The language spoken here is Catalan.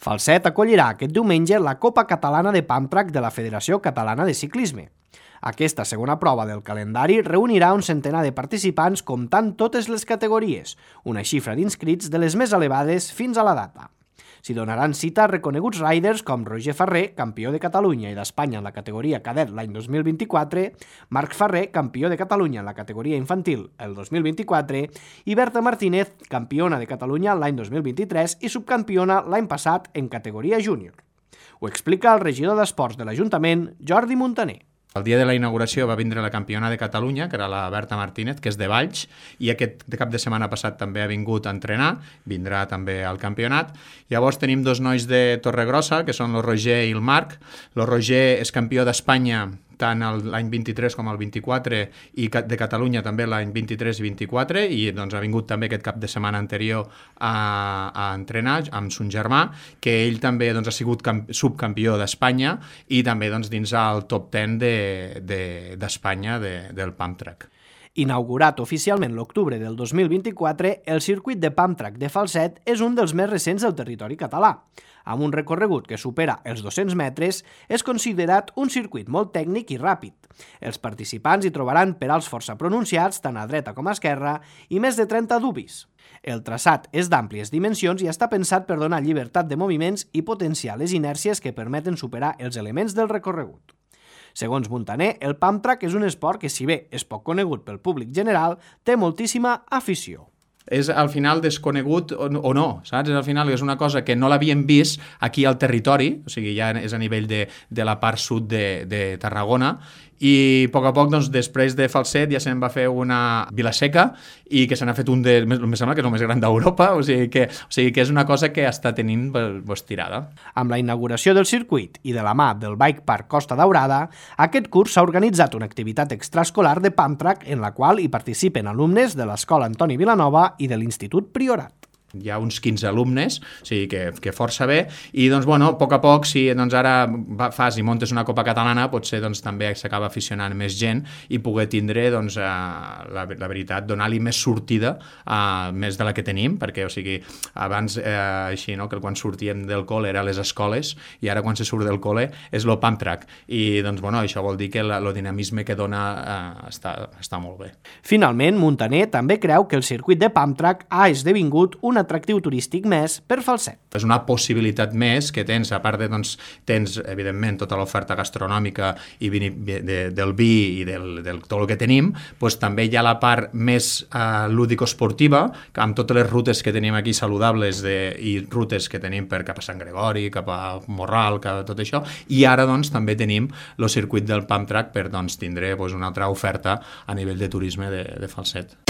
Falset acollirà aquest diumenge la Copa Catalana de Pump Track de la Federació Catalana de Ciclisme. Aquesta segona prova del calendari reunirà un centenar de participants comptant totes les categories, una xifra d'inscrits de les més elevades fins a la data. S'hi donaran cita reconeguts riders com Roger Ferrer, campió de Catalunya i d'Espanya en la categoria cadet l'any 2024, Marc Ferrer, campió de Catalunya en la categoria infantil el 2024, i Berta Martínez, campiona de Catalunya l'any 2023 i subcampiona l'any passat en categoria júnior. Ho explica el regidor d'Esports de l'Ajuntament, Jordi Muntaner. El dia de la inauguració va vindre la campiona de Catalunya, que era la Berta Martínez, que és de Valls, i aquest cap de setmana passat també ha vingut a entrenar, vindrà també al campionat. Llavors tenim dos nois de Torregrossa, que són el Roger i el Marc. El Roger és campió d'Espanya tant l'any 23 com el 24 i de Catalunya també l'any 23 i 24 i doncs ha vingut també aquest cap de setmana anterior a entrenar amb son germà, que ell també doncs, ha sigut subcampió d'Espanya i també doncs, dins el top 10 d'Espanya del Pump Track. Inaugurat oficialment l'octubre del 2024, el circuit de Pump Track de Falset és un dels més recents del territori català. Amb un recorregut que supera els 200 metres, és considerat un circuit molt tècnic i ràpid. Els participants hi trobaran pedals força pronunciats, tant a dreta com a esquerra, i més de 30 dubis. El traçat és d'àmplies dimensions i està pensat per donar llibertat de moviments i potenciar les inèrcies que permeten superar els elements del recorregut. Segons Muntaner, el Pump Track és un esport que, si bé és poc conegut pel públic general, té moltíssima afició. És al final desconegut o no, saps? Al final és una cosa que no l'havíem vist aquí al territori, o sigui, ja és a nivell de la part sud de Tarragona, i a poc, doncs, després de Falset ja se'n va fer una Vila-seca i que se n'ha fet un em sembla que és el més gran d'Europa, o sigui que és una cosa que està tenint tirada. Amb la inauguració del circuit i de la mà del Bike Park Costa Daurada, aquest curs s'ha organitzat una activitat extraescolar de Pump Track en la qual hi participen alumnes de l'Escola Antoni Vilanova i de l'Institut Priorat. Hi ha uns 15 alumnes, o sigui que força bé, i doncs, bueno, a poc, si doncs, ara fas i montes una Copa Catalana, potser doncs, també s'acaba aficionant més gent i poder tindre, doncs, la veritat, donar-li més sortida, més de la que tenim, perquè, o sigui, abans, així, no?, que quan sortíem del col·le era a les escoles, i ara quan se surt del col·le és el Pump Track, i doncs, bueno, això vol dir que el dinamisme que dona està molt bé. Finalment, Muntaner també creu que el circuit de Pump Track ha esdevingut un atractiu turístic més per Falset. És una possibilitat més que tens, a part de, doncs, tens, evidentment, tota l'oferta gastronòmica i del vi i del tot el que tenim, doncs també hi ha la part més lúdico-esportiva, amb totes les rutes que tenim aquí saludables i rutes que tenim cap a Sant Gregori, cap a Morral, tot això, i ara, doncs, també tenim el circuit del Pump Track per, doncs, tindre una altra oferta a nivell de turisme de Falset.